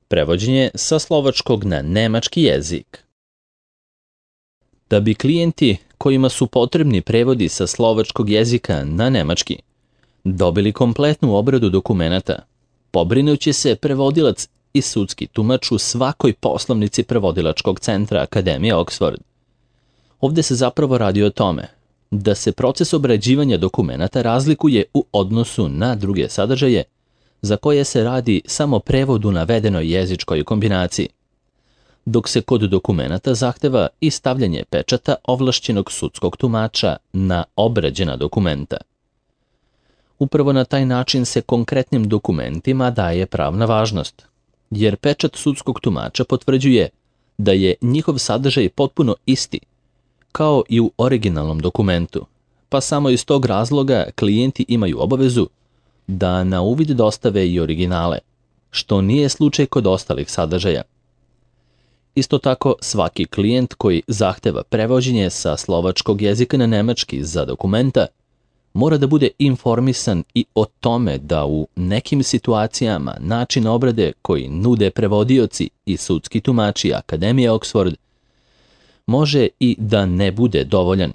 Prevođenje sa slovačkog na nemački jezik. Da bi klijenti kojima su potrebni prevodi sa slovačkog jezika na nemački dobili kompletnu obradu dokumenata, pobrinuće se prevodilac i sudski tumač u svakoj poslovnici prevodilačkog centra Akademije Oxford. Ovdje se zapravo radi o tome da se proces obrađivanja dokumenata razlikuje u odnosu na druge sadržaje za koje se radi samo prevod u navedenoj jezičkoj kombinaciji, dok se kod dokumenata zahteva i stavljanje pečata ovlašćenog sudskog tumača na obrađena dokumenta. Upravo na taj način se konkretnim dokumentima daje pravna važnost, jer pečat sudskog tumača potvrđuje da je njihov sadržaj potpuno isti, kao i u originalnom dokumentu, pa samo iz tog razloga klijenti imaju obavezu da na uvid dostave i originale, što nije slučaj kod ostalih sadržaja. Isto tako, svaki klijent koji zahteva prevođenje sa slovačkog jezika na nemački za dokumenta mora da bude informisan i o tome da u nekim situacijama način obrade koji nude prevodioci i sudski tumači Akademije Oxford može i da ne bude dovoljan,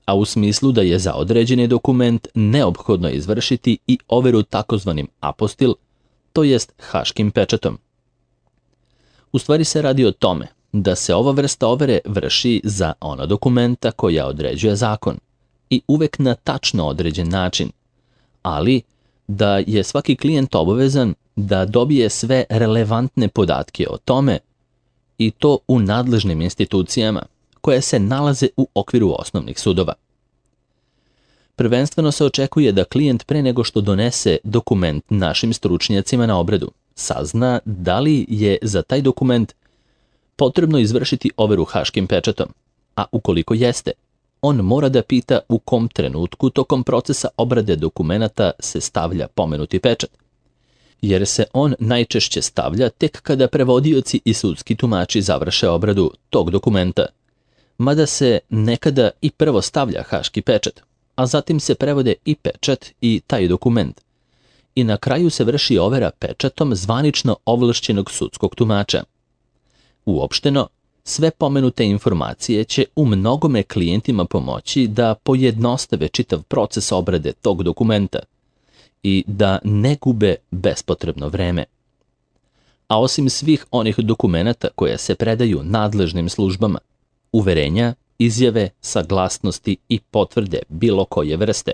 a u smislu da je za određeni dokument neophodno izvršiti i overu takozvanim apostil, to jest haškim pečatom. U stvari se radi o tome da se ova vrsta overe vrši za ona dokumenta koja određuje zakon i uvek na tačno određen način, ali da je svaki klijent obavezan da dobije sve relevantne podatke o tome i to u nadležnim institucijama koje se nalaze u okviru osnovnih sudova. Prvenstveno se očekuje da klijent pre nego što donese dokument našim stručnjacima na obradu sazna da li je za taj dokument potrebno izvršiti overu haškim pečatom, a ukoliko jeste, on mora da pita u kom trenutku tokom procesa obrade dokumenata se stavlja pomenuti pečat, jer se on najčešće stavlja tek kada prevodioci i sudski tumači završe obradu tog dokumenta, mada se nekada i prvo stavlja haški pečat, a zatim se prevode i pečat i taj dokument. I na kraju se vrši overa pečatom zvanično ovlašćenog sudskog tumača. Uopšteno, sve pomenute informacije će u mnogome klijentima pomoći da pojednostave čitav proces obrade tog dokumenta i da ne gube bespotrebno vreme. A osim svih onih dokumenata koje se predaju nadležnim službama, uverenja, izjave, saglasnosti i potvrde bilo koje vrste,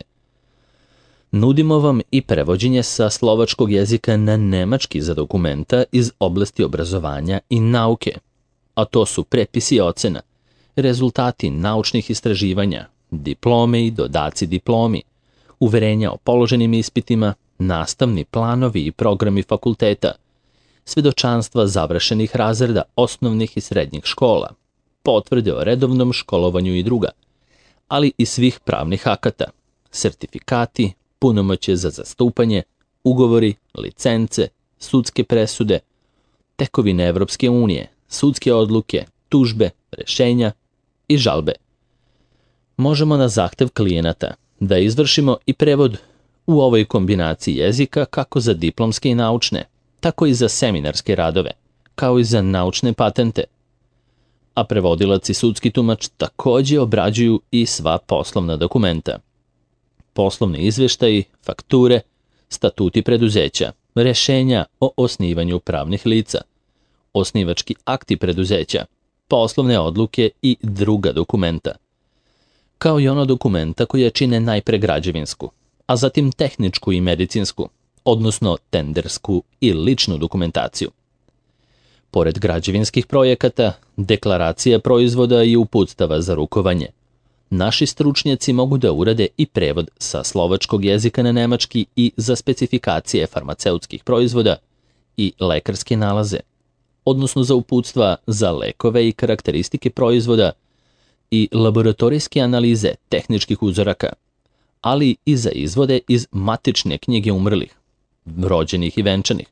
nudimo vam i prevođenje sa slovačkog jezika na nemački za dokumenta iz oblasti obrazovanja i nauke, a to su prepisi i ocena, rezultati naučnih istraživanja, diplome i dodaci diplomi, uverenja o položenim ispitima, nastavni planovi i programi fakulteta, svedočanstva završenih razreda osnovnih i srednjih škola, potvrde o redovnom školovanju i druga, ali i svih pravnih akata, sertifikati, punomoćje za zastupanje, ugovori, licence, sudske presude, tekovine Evropske unije, sudske odluke, tužbe, rešenja i žalbe. Možemo na zahtev klijenata da izvršimo i prevod u ovoj kombinaciji jezika kako za diplomske i naučne, tako i za seminarske radove, kao i za naučne patente. A prevodilac i sudski tumač također obrađuju i sva poslovna dokumenta. Poslovni izveštaji, fakture, statuti preduzeća, rešenja o osnivanju pravnih lica, osnivački akti preduzeća, poslovne odluke i druga dokumenta, kao i ono dokumenta koje čine najpre građevinsku, a zatim tehničku i medicinsku, odnosno tendersku i ličnu dokumentaciju. Pored građevinskih projekata, deklaracija proizvoda i uputstava za rukovanje, naši stručnjaci mogu da urade i prevod sa slovačkog jezika na nemački i za specifikacije farmaceutskih proizvoda i lekarske nalaze, odnosno za uputstva za lekove i karakteristike proizvoda i laboratorijske analize tehničkih uzoraka, ali i za izvode iz matične knjige umrlih, rođenih i venčanih,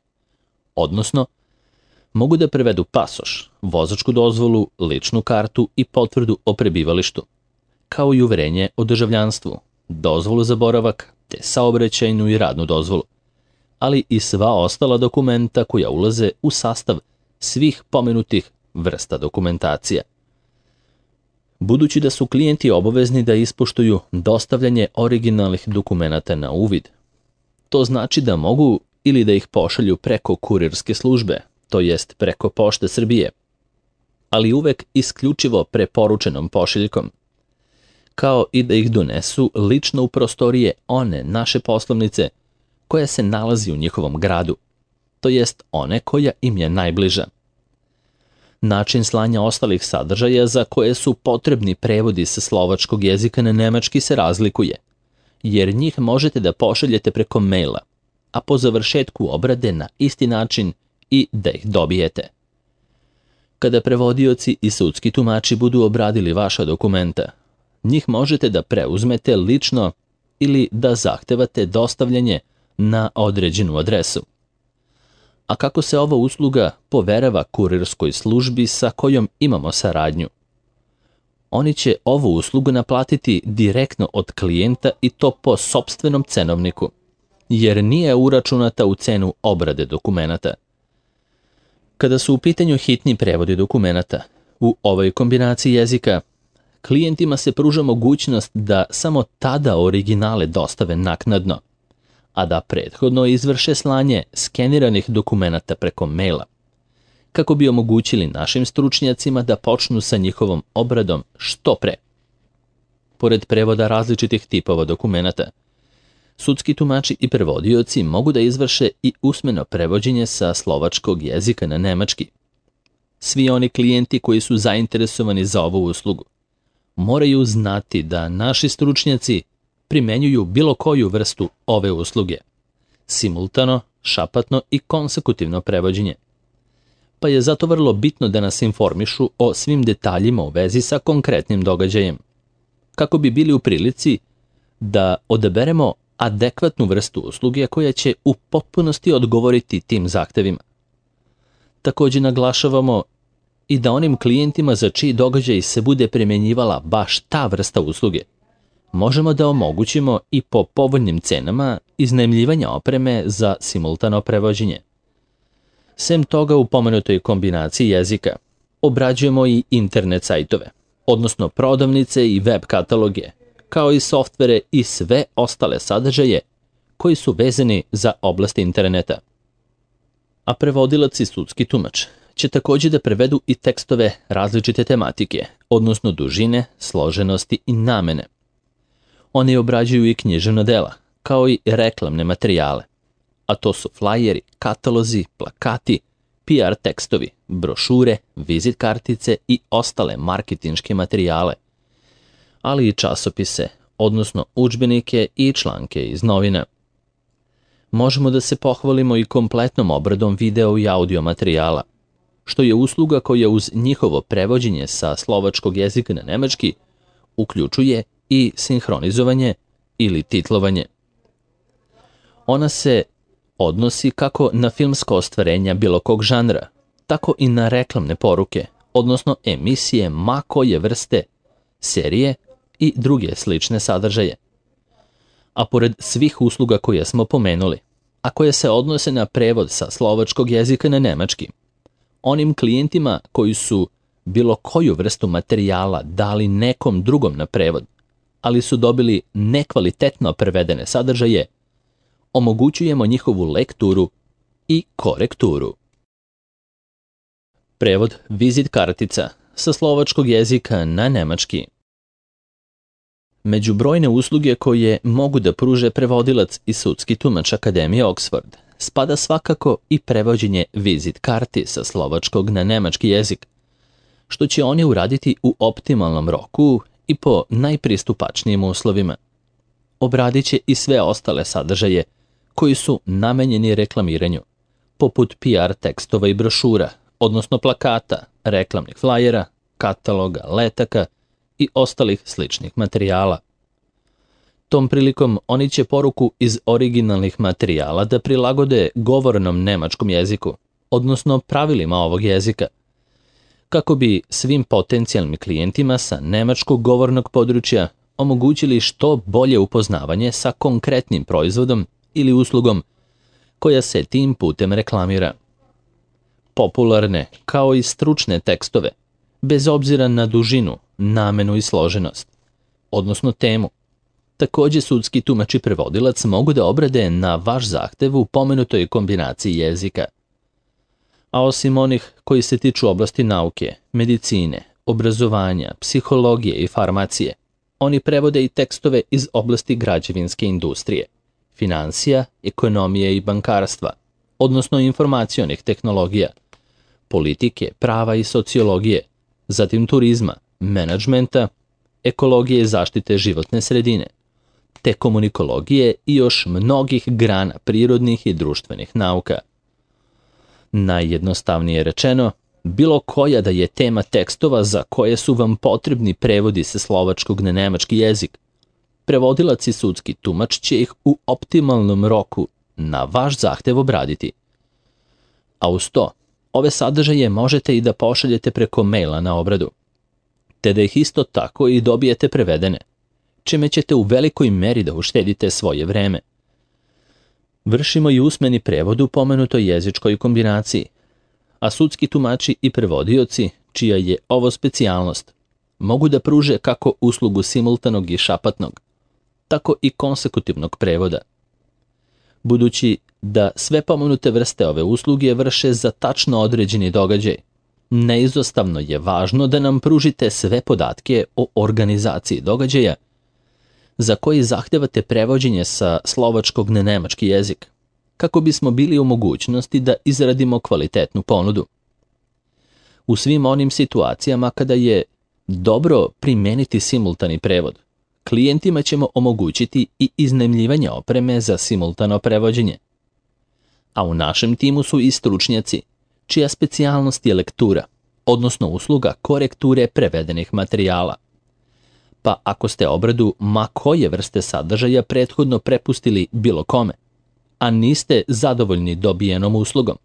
odnosno mogu da prevedu pasoš, vozačku dozvolu, ličnu kartu i potvrdu o prebivalištu, kao i uverenje o državljanstvu, dozvolu za boravak te saobraćajnu i radnu dozvolu, ali i sva ostala dokumenta koja ulaze u sastav svih pomenutih vrsta dokumentacija. Budući da su klijenti obavezni da ispoštuju dostavljanje originalnih dokumenata na uvid, to znači da mogu ili da ih pošalju preko kurirske službe, to jest preko Pošte Srbije, ali uvek isključivo preporučenom pošiljkom, kao i da ih donesu lično u prostorije one naše poslovnice koja se nalazi u njihovom gradu, to jest one koja im je najbliža. Način slanja ostalih sadržaja za koje su potrebni prevodi sa slovačkog jezika na nemački se razlikuje, jer njih možete da pošaljete preko maila, a po završetku obrade na isti način i da ih dobijete. Kada prevodioci i sudski tumači budu obradili vaša dokumenta, njih možete da preuzmete lično ili da zahtevate dostavljanje na određenu adresu. A kako se ova usluga poverava kurirskoj službi sa kojom imamo saradnju? Oni će ovu uslugu naplatiti direktno od klijenta i to po sopstvenom cenovniku, jer nije uračunata u cenu obrade dokumenata. Kada su u pitanju hitni prevodi dokumenata, u ovoj kombinaciji jezika, klijentima se pruža mogućnost da samo tada originale dostave naknadno, a da prethodno izvrše slanje skeniranih dokumenata preko maila, kako bi omogućili našim stručnjacima da počnu sa njihovom obradom što pre. Pored prevoda različitih tipova dokumenata, sudski tumači i prevodioci mogu da izvrše i usmeno prevođenje sa slovačkog jezika na nemački. Svi oni klijenti koji su zainteresovani za ovu uslugu moraju znati da naši stručnjaci primenjuju bilo koju vrstu ove usluge, simultano, šapatno i konsekutivno prevođenje. Pa je zato vrlo bitno da nas informišu o svim detaljima u vezi sa konkretnim događajem, kako bi bili u prilici da odaberemo adekvatnu vrstu usluge koja će u potpunosti odgovoriti tim zahtevima. Također naglašavamo i da onim klijentima za čiji događaj se bude primjenjivala baš ta vrsta usluge, možemo da omogućimo i po povoljnim cenama iznajmljivanja opreme za simultano prevođenje. Sem toga, u pomenutoj kombinaciji jezika obrađujemo i internet sajtove, odnosno prodavnice i web kataloge, kao i softvere i sve ostale sadržaje koji su vezani za oblast interneta. A prevodilac i sudski tumač će također da prevedu i tekstove različite tematike, odnosno dužine, složenosti i namene. Oni obrađuju i književna dela, kao i reklamne materijale, a to su flajeri, katalozi, plakati, PR tekstovi, brošure, vizit kartice i ostale marketinške materijale, ali i časopise, odnosno udžbenike i članke iz novina. Možemo da se pohvalimo i kompletnom obradom video i audio materijala, što je usluga koja uz njihovo prevođenje sa slovačkog jezika na nemački uključuje i sinhronizovanje ili titlovanje. Ona se odnosi kako na filmsko ostvarenja bilo kog žanra, tako i na reklamne poruke, odnosno emisije ma koje vrste, serije i druge slične sadržaje. A pored svih usluga koje smo pomenuli, a koje se odnose na prevod sa slovačkog jezika na nemački, onim klijentima koji su bilo koju vrstu materijala dali nekom drugom na prevod, ali su dobili nekvalitetno prevedene sadržaje, omogućujemo njihovu lekturu i korekturu. Prevod vizit kartica sa slovačkog jezika na nemački. Među brojne usluge koje mogu da pruže prevodilac i sudski tumač Akademije Oxford spada svakako i prevođenje vizit karti sa slovačkog na nemački jezik, što će oni uraditi u optimalnom roku i po najpristupačnijim uslovima. Obradit će i sve ostale sadržaje koji su namenjeni reklamiranju, poput PR tekstova i brošura, odnosno plakata, reklamnih flajera, kataloga, letaka i ostalih sličnih materijala. Tom prilikom oni će poruku iz originalnih materijala da prilagode govornom nemačkom jeziku, odnosno pravilima ovog jezika, kako bi svim potencijalnim klijentima sa nemačkog govornog područja omogućili što bolje upoznavanje sa konkretnim proizvodom ili uslugom koja se tim putem reklamira. Popularne, kao i stručne tekstove, bez obzira na dužinu, namenu i složenost, odnosno temu. Takođe, sudski tumač i prevodilac mogu da obrade na vaš zahtev u pomenutoj kombinaciji jezika. A osim onih koji se tiču oblasti nauke, medicine, obrazovanja, psihologije i farmacije, oni prevode i tekstove iz oblasti građevinske industrije, finansija, ekonomije i bankarstva, odnosno informacionih tehnologija, politike, prava i sociologije, zatim turizma, menadžmenta, ekologije i zaštite životne sredine, te komunikologije i još mnogih grana prirodnih i društvenih nauka. Najjednostavnije rečeno, bilo koja da je tema tekstova za koje su vam potrebni prevodi sa slovačkog na nemački jezik, prevodilac i sudski tumač će ih u optimalnom roku na vaš zahtev obraditi. A uz to, ove sadržaje možete i da pošaljete preko maila na obradu, te da ih isto tako i dobijete prevedene, čime ćete u velikoj meri da uštedite svoje vreme. Vršimo i usmeni prevod u pomenutoj jezičkoj kombinaciji, a sudski tumači i prevodioci, čija je ovo specijalnost, mogu da pruže kako uslugu simultanog i šapatnog, tako i konsekutivnog prevoda. Budući da sve pomenute vrste ove usluge vrše za tačno određeni događaj, neizostavno je važno da nam pružite sve podatke o organizaciji događaja za koji zahtevate prevođenje sa slovačkog na nemački jezik, kako bismo bili u mogućnosti da izradimo kvalitetnu ponudu. U svim onim situacijama kada je dobro primeniti simultani prevod, klijentima ćemo omogućiti i iznajmljivanje opreme za simultano prevođenje. A u našem timu su i stručnjaci, čija specijalnost je lektura, odnosno usluga korekture prevedenih materijala. Pa ako ste obradu ma koje vrste sadržaja prethodno prepustili bilo kome, a niste zadovoljni dobijenom uslugom,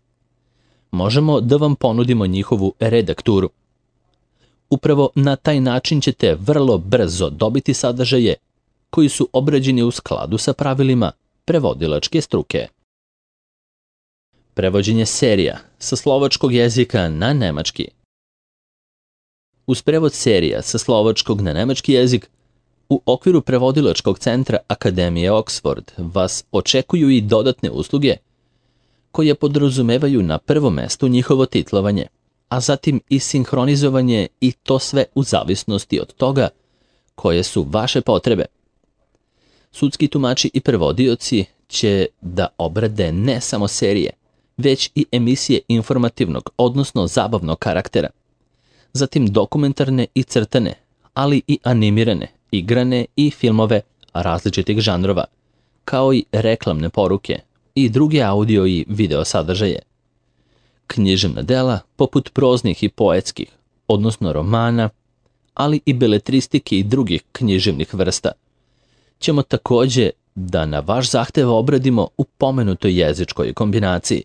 možemo da vam ponudimo njihovu redakturu. Upravo na taj način ćete vrlo brzo dobiti sadržaje koji su obrađeni u skladu sa pravilima prevodilačke struke. Prevođenje serija sa slovačkog jezika na nemački. Uz prevod serija sa slovačkog na nemački jezik, u okviru prevodilačkog centra Akademije Oxford vas očekuju i dodatne usluge koje podrazumevaju na prvom mestu njihovo titlovanje, a zatim i sinhronizovanje, i to sve u zavisnosti od toga koje su vaše potrebe. Sudski tumači i prevodioci će da obrade ne samo serije, već i emisije informativnog, odnosno zabavnog karaktera, zatim dokumentarne i crtane, ali i animirane, igrane i filmove različitih žanrova, kao i reklamne poruke i druge audio i video sadržaje. Književna dela poput proznih i poetskih, odnosno romana, ali i beletristike i drugih književnih vrsta, ćemo takođe da na vaš zahtev obradimo u pomenutoj jezičkoj kombinaciji.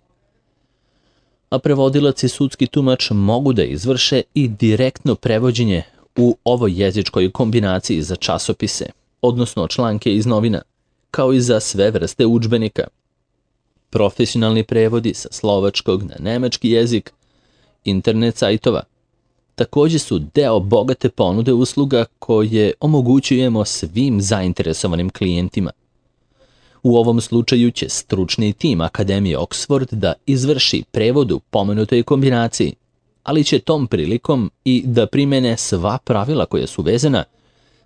A prevodilac i sudski tumač mogu da izvrše i direktno prevođenje u ovoj jezičkoj kombinaciji za časopise, odnosno članke iz novina, kao i za sve vrste udžbenika. Profesionalni prevodi sa slovačkog na nemački jezik, internet sajtova, takođe su deo bogate ponude usluga koje omogućujemo svim zainteresovanim klijentima. U ovom slučaju će stručni tim Akademije Oxford da izvrši prevod u pomenutoj kombinaciji, ali će tom prilikom i da primene sva pravila koja su vezana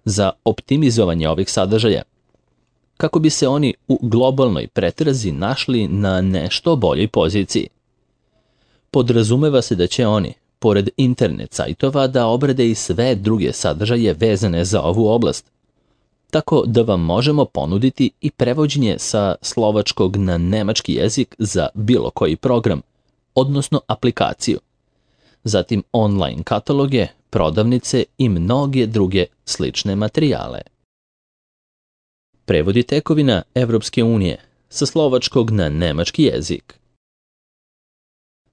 za optimizovanje ovih sadržaja, kako bi se oni u globalnoj pretrazi našli na nešto boljoj poziciji. Podrazumeva se da će oni, pored internet sajtova, da obrade i sve druge sadržaje vezane za ovu oblast, tako da vam možemo ponuditi i prevođenje sa slovačkog na nemački jezik za bilo koji program, odnosno aplikaciju, zatim online kataloge, prodavnice i mnoge druge slične materijale. Prevodi tekovina Evropske unije sa slovačkog na nemački jezik.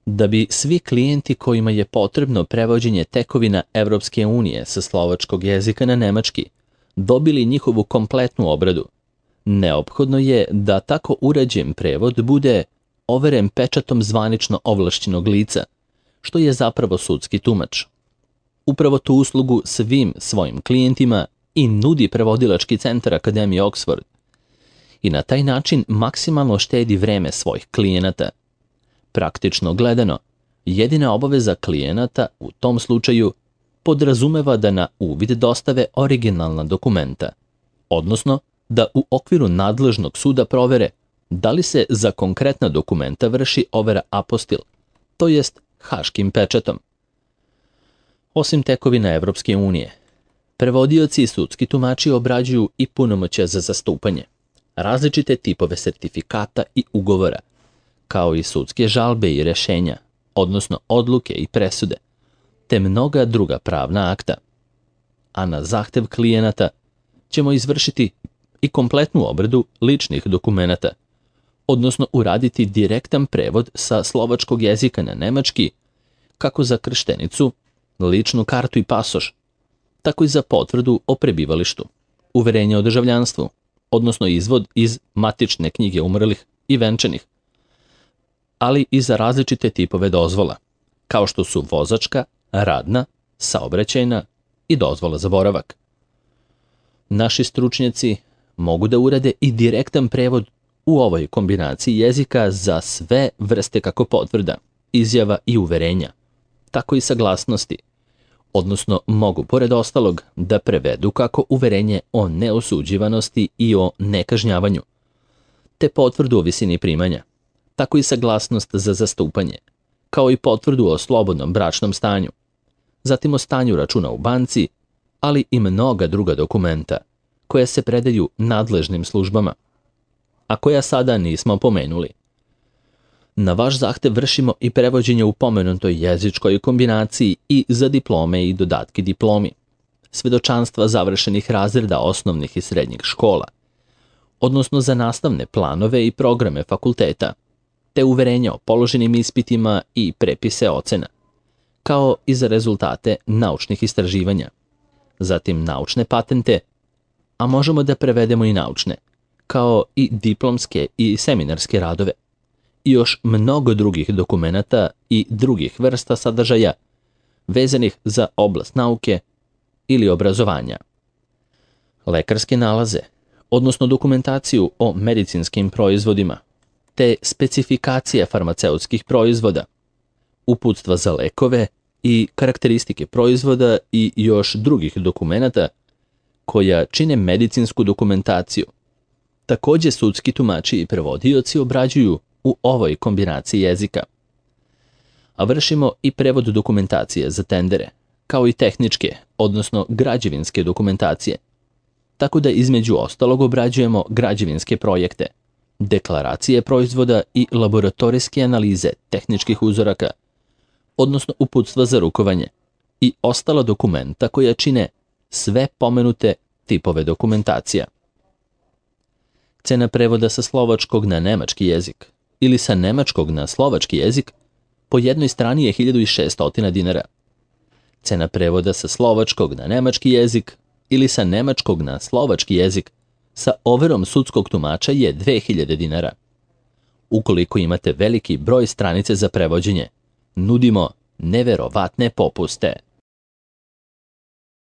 Da bi svi klijenti kojima je potrebno prevođenje tekovina Evropske unije sa slovačkog jezika na nemački dobili njihovu kompletnu obradu, neophodno je da tako urađen prevod bude overen pečatom zvanično ovlašćenog lica, što je zapravo sudski tumač. Upravo tu uslugu svim svojim klijentima i nudi prevodilački centar Akademije Oxford. I na taj način maksimalno štedi vreme svojih klijenata. Praktično gledano, jedina obaveza klijenata u tom slučaju podrazumeva da na uvid dostave originalna dokumenta, odnosno da u okviru nadležnog suda provere da li se za konkretna dokumenta vrši overa apostil, to jest haškim pečatom. Osim tekovina Evropske unije, prevodioci i sudski tumači obrađuju i punomoćja za zastupanje, različite tipove sertifikata i ugovora, kao i sudske žalbe i rešenja, odnosno odluke i presude, te mnoga druga pravna akta. A na zahtev klijenata ćemo izvršiti i kompletnu obradu ličnih dokumenata, odnosno uraditi direktan prevod sa slovačkog jezika na nemački, kako za krštenicu, ličnu kartu i pasoš, tako i za potvrdu o prebivalištu, uverenje o državljanstvu, odnosno izvod iz matične knjige umrlih i venčanih, ali i za različite tipove dozvola, kao što su vozačka, radna, saobraćajna i dozvola za boravak. Naši stručnjaci mogu da urade i direktan prevod u ovoj kombinaciji jezika za sve vrste kako potvrda, izjava i uverenja, tako i saglasnosti, odnosno mogu pored ostalog da prevedu kako uverenje o neosuđivanosti i o nekažnjavanju, te potvrdu o visini primanja, tako i saglasnost za zastupanje, kao i potvrdu o slobodnom bračnom stanju, zatim o stanju računa u banci, ali i mnoga druga dokumenta koja se predaju nadležnim službama, a koja sada nismo pomenuli. Na vaš zahtev vršimo i prevođenje u pomenutoj jezičkoj kombinaciji i za diplome i dodatke diplomi, svedočanstva završenih razreda osnovnih i srednjih škola, odnosno za nastavne planove i programe fakulteta, te uverenja o položenim ispitima i prepise ocena, kao i za rezultate naučnih istraživanja, zatim naučne patente, a možemo da prevedemo i naučne, kao i diplomske i seminarske radove, i još mnogo drugih dokumenata i drugih vrsta sadržaja vezanih za oblast nauke ili obrazovanja. Lekarske nalaze, odnosno dokumentaciju o medicinskim proizvodima, te specifikacije farmaceutskih proizvoda, uputstva za lekove i karakteristike proizvoda i još drugih dokumenata koja čine medicinsku dokumentaciju. Takođe sudski tumači i prevodioci obrađuju u ovoj kombinaciji jezika. A vršimo i prevod dokumentacije za tendere, kao i tehničke, odnosno građevinske dokumentacije, tako da između ostalog obrađujemo građevinske projekte, deklaracije proizvoda i laboratorijske analize tehničkih uzoraka, odnosno uputstva za rukovanje i ostala dokumenta koja čine sve pomenute tipove dokumentacija. Cena prevoda sa slovačkog na nemački jezik ili sa nemačkog na slovački jezik po jednoj strani je 1600 dinara. Cena prevoda sa slovačkog na nemački jezik ili sa nemačkog na slovački jezik sa overom sudskog tumača je 2000 dinara. Ukoliko imate veliki broj stranice za prevođenje, nudimo neverovatne popuste.